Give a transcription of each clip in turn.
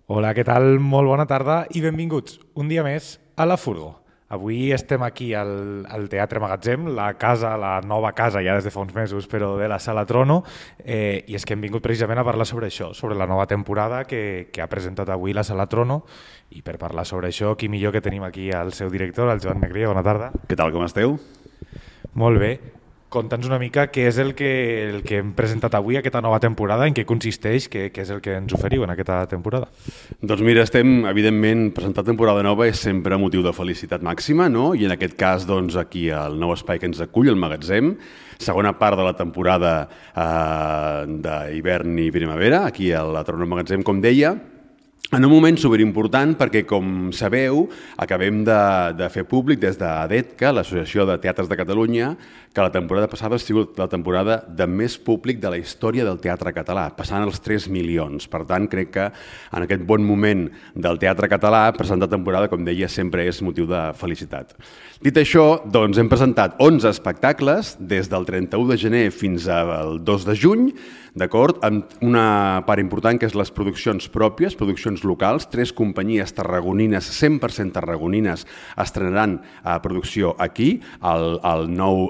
Hola, què tal? Molt bona tarda i benvinguts un dia més a La Furgo. Avui estem aquí al Teatre Magatzem, la casa, la nova casa, ja des de fa uns mesos, però de la Sala Trono, i és que hem vingut precisament a parlar sobre això, sobre la nova temporada que ha presentat avui la Sala Trono, i per parlar sobre això, qui millor que tenim aquí al seu director, el Joan Megria. Bona tarda. Què tal, com esteu? Molt bé. Conta'ns una mica què és el que hem presentat avui, aquesta nova temporada, en què consisteix, què és el que ens oferiu en aquesta temporada. Doncs mira, estem, evidentment, presentar temporada nova és sempre motiu de felicitat màxima, no? I en aquest cas, doncs, aquí el nou espai que ens acull, el Magatzem, segona part de la temporada d'hivern i primavera, aquí a la Trono Magatzem, com deia, en un moment superimportant perquè, com sabeu, acabem de fer públic des d'ADETCA, l'Associació de Teatres de Catalunya, que la temporada passada ha sigut la temporada de més públic de la història del teatre català, passant els 3 milions. Per tant, crec que en aquest bon moment del teatre català, presentar temporada, com deia, sempre és motiu de felicitat. Dit això, doncs hem presentat 11 espectacles des del 31 de gener fins al 2 de juny, d'acord, amb una part important que és les produccions pròpies, produccions locals. 3 companyies tarragonines, 100% tarragonines, estrenaran producció aquí, al nou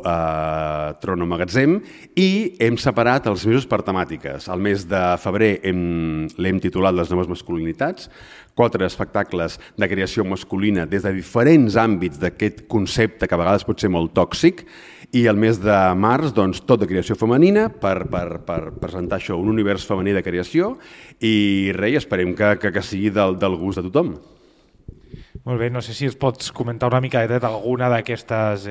Trono Magatzem, i hem separat els mesos per temàtiques. El mes de febrer l'hem titulat Les noves masculinitats, 4 espectacles de creació masculina des de diferents àmbits d'aquest concepte que a vegades pot ser molt tòxic, i el mes de març, doncs, tot de creació femenina per presentar això, un univers femení de creació, i res, esperem que sigui del gust de tothom. Molt bé, no sé si ens pots comentar una mica d'alguna d'aquestes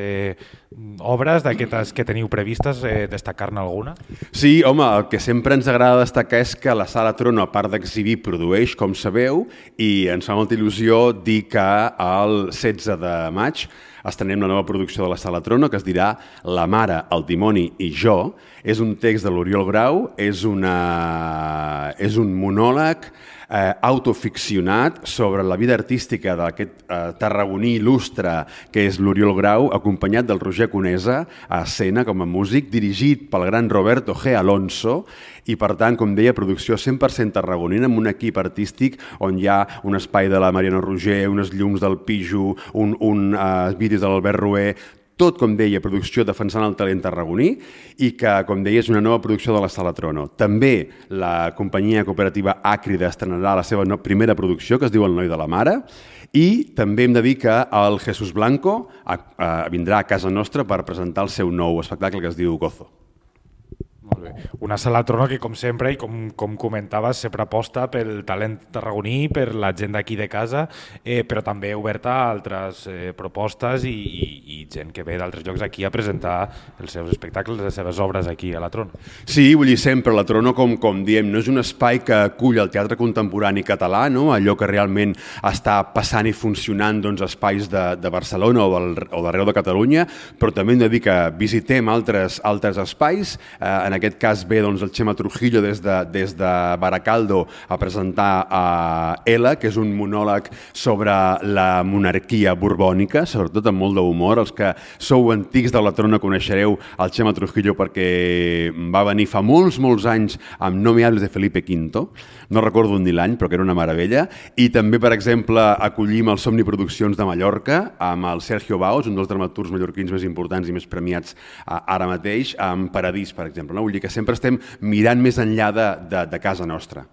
obres, d'aquestes que teniu previstes, destacar-ne alguna? Sí, home, el que sempre ens agrada destacar és que la Sala Trono, a part d'exhibir, produeix, com sabeu, i ens fa molta il·lusió dir que el 16 de maig estrenem la nova producció de la Sala Trono, que es dirà La mare, el dimoni i jo. És un text de l'Oriol Grau, és un monòleg autoficcionat sobre la vida artística d'aquest tarragoní il·lustre que és l'Oriol Grau, acompanyat del Roger Conesa a escena com a músic, dirigit pel gran Roberto G. Alonso, i per tant, com deia, producció 100% tarragonina, amb un equip artístic on hi ha un espai de la Mariano Roger, unes llums del Pijo, un vídeos de l'Albert Rué, tot, com deia, producció defensant el talent tarragoní, i que, com deia, és una nova producció de la Sala Trono. També la companyia cooperativa Àcrida estrenarà la seva primera producció, que es diu El noi de la mare, i també hem de dir que el Jesús Blanco vindrà a casa nostra per presentar el seu nou espectacle que es diu Gozo. Molt bé. Una Sala Trono que, com sempre, i com comentaves, sempre aposta pel talent tarragoní, per la gent d'aquí de casa, però també oberta a altres propostes i gent que ve d'altres llocs aquí a presentar els seus espectacles, les seves obres aquí a la Trono. Sí, vull dir, sempre la Trono, com diem, no és un espai que acull el teatre contemporani català, no? Allò que realment està passant i funcionant, doncs, espais de Barcelona o d'arreu de Catalunya, però també hem de dir que visitem altres espais. En aquest cas ve, doncs, el Xema Trujillo des de Baracaldo a presentar Ela, que és un monòleg sobre la monarquia borbònica, sobretot amb molt d'humor. Els que sou antics de la Trona coneixereu el Xema Trujillo perquè va venir fa molts anys amb No me hables de Felipe V, no recordo ni l'any, però que era una meravella, i també, per exemple, acollim el Somni Produccions de Mallorca amb el Sergio Baos, un dels dramaturgs mallorquins més importants i més premiats ara mateix, amb Paradís, per exemple. Vull dir que sempre estem mirant més enllà de casa nostra.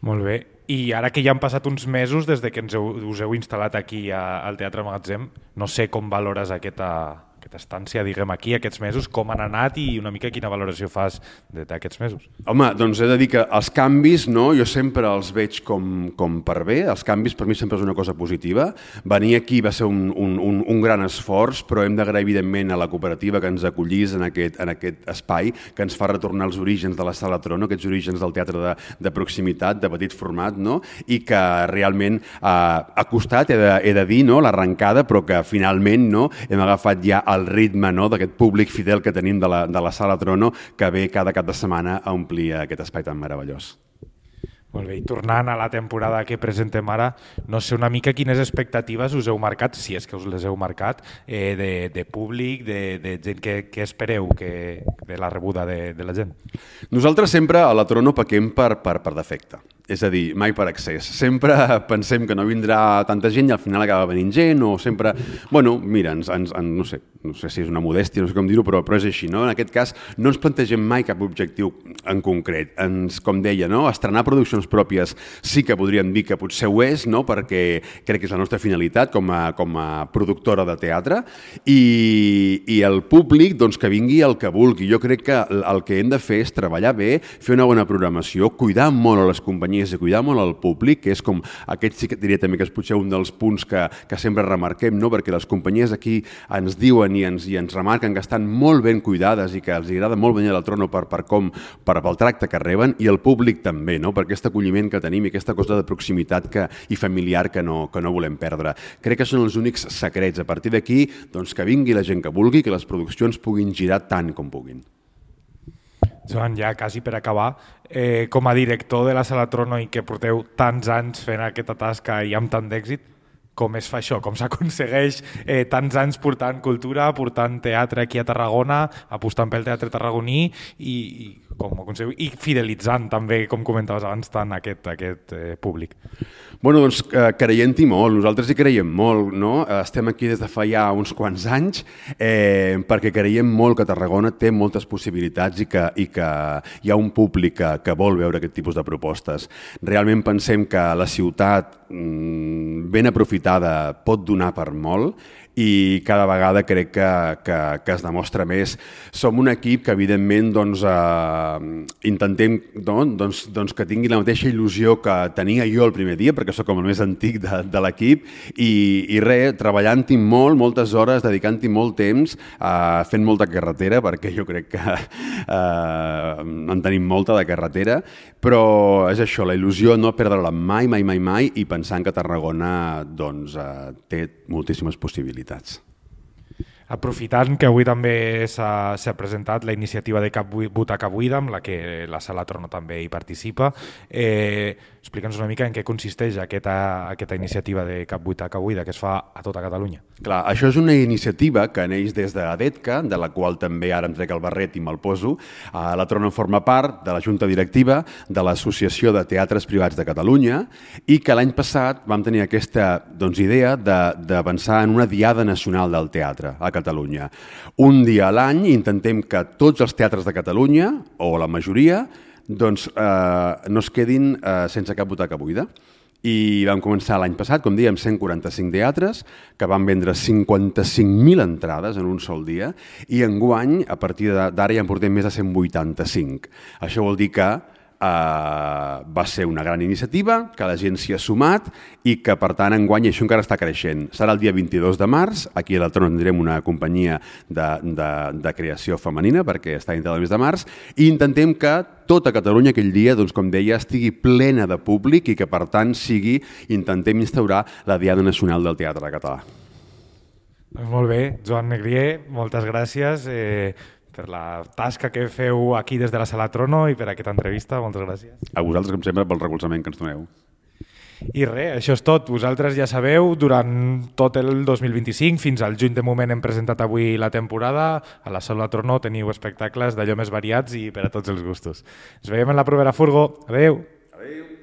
Molt bé. I ara que ja han passat uns mesos des de que us heu instal·lat aquí al Teatre Magatzem, no sé com valores aquesta estància, diguem, aquí, aquests mesos, com han anat i una mica quina valoració fas d'aquests mesos? Home, doncs he de dir que els canvis, no, jo sempre els veig com per bé. Els canvis per mi sempre és una cosa positiva. Venir aquí va ser un gran esforç, però hem d'agrair evidentment a la cooperativa que ens acollís en aquest espai, que ens fa retornar als orígens de la Sala Trono, aquests orígens del teatre de proximitat, de petit format, no? I que realment ha costat, he de dir, no, l'arrencada, però que finalment, no, hem agafat ja el ritme, no, d'aquest públic fidel que tenim de la Sala Trono, que ve cada cap de setmana a omplir aquest espai tan meravellós. Molt bé, i tornant a la temporada que presentem ara, no sé una mica quines expectatives us heu marcat, si és que us les heu marcat, de públic, de gent que espereu de la rebuda de la gent. Nosaltres sempre a la Trono pequem per defecte. És a dir, mai per excés. Sempre pensem que no vindrà tanta gent i al final acaba venint gent, o sempre... Bueno, mira, no sé si és una modèstia, no sé com dir-ho, però és així, no? En aquest cas, no ens plantegem mai cap objectiu en concret. Com deia, no? Estrenar produccions pròpies sí que podríem dir que potser ho és, no? Perquè crec que és la nostra finalitat com a productora de teatre, i el públic doncs, que vingui el que vulgui. Jo crec que el que hem de fer és treballar bé, fer una bona programació, cuidar molt a les companyies i cuidar molt al públic, que és com aquest sí que diria també que és potser un dels punts que sempre remarquem, no? Perquè les companyies aquí ens diuen i ens remarquen que estan molt ben cuidades i que els agrada molt venir a la Trono pel tracte que reben, i el públic també, no? Per aquest acolliment que tenim i aquesta cosa de proximitat i familiar que no volem perdre. Crec que són els únics secrets. A partir d'aquí, doncs que vingui la gent que vulgui, que les produccions puguin girar tant com puguin. Joan, ja quasi per acabar, com a director de la Sala Trono i que porteu tants anys fent aquesta tasca i amb tant d'èxit, com es fa això? Com s'aconsegueix tants anys portant cultura, portant teatre aquí a Tarragona, apostant pel teatre tarragoní i fidelitzant també, com comentaves abans, tant aquest públic? Bueno, doncs creient-hi molt, nosaltres hi creiem molt, no? Estem aquí des de fa ja uns quants anys perquè creiem molt que Tarragona té moltes possibilitats i que hi ha un públic que vol veure aquest tipus de propostes. Realment pensem que la ciutat ben aprofitada pot donar per molt i cada vegada crec que es demostra més. Som un equip que evidentment intentem que tingui la mateixa il·lusió que tenia jo el primer dia, perquè sóc com el més antic de l'equip, i res, treballant-hi molt, moltes hores, dedicant-hi molt temps, fent molta carretera, perquè jo crec que en tenim molta de carretera, però és això, la il·lusió no perdre-la mai, mai, mai, mai, i pensant que Tarragona té moltíssimes possibilitats. Aprofitant que avui també s'ha presentat la iniciativa de Cap Butaca Buida, amb la que la Sala Trono també hi participa, explica'ns una mica en què consisteix aquesta iniciativa de Cap Butaca Buida que es fa a tota Catalunya. Clar, això és una iniciativa que neix des d'ADETCA, de la qual també ara em trec el barret i me'l poso. La Trono forma part de la Junta Directiva de l'Associació de Teatres Privats de Catalunya i que l'any passat vam tenir aquesta idea de pensar en una Diada Nacional del Teatre a Catalunya. Un dia a l'any intentem que tots els teatres de Catalunya, o la majoria, no es quedin sense cap butaca buida. I vam començar l'any passat, com dèiem, 145 teatres, que van vendre 55.000 entrades en un sol dia, i enguany, a partir d'ara, ja en portem més de 185. Això vol dir que va ser una gran iniciativa, que la gent s'hi ha sumat i que, per tant, enguany això encara està creixent. Serà el dia 22 de març, aquí a la Trono tindrem una companyia de creació femenina, perquè està dintre del mes de març, i intentem que tota Catalunya aquell dia, doncs, com deia, estigui plena de públic i que, per tant, intentem instaurar la Diada Nacional del Teatre Català. Molt bé, Joan Negrier, moltes gràcies per la tasca que feu aquí des de la Sala Trono i per aquesta entrevista. Moltes gràcies. A vosaltres, com sempre, pel recolzament que ens doneu. I res, això és tot. Vosaltres ja sabeu, durant tot el 2025, fins al juny de moment hem presentat avui la temporada. A la Sala Trono teniu espectacles d'allò més variats i per a tots els gustos. Ens veiem en la propera Furgo. Adéu. Adéu.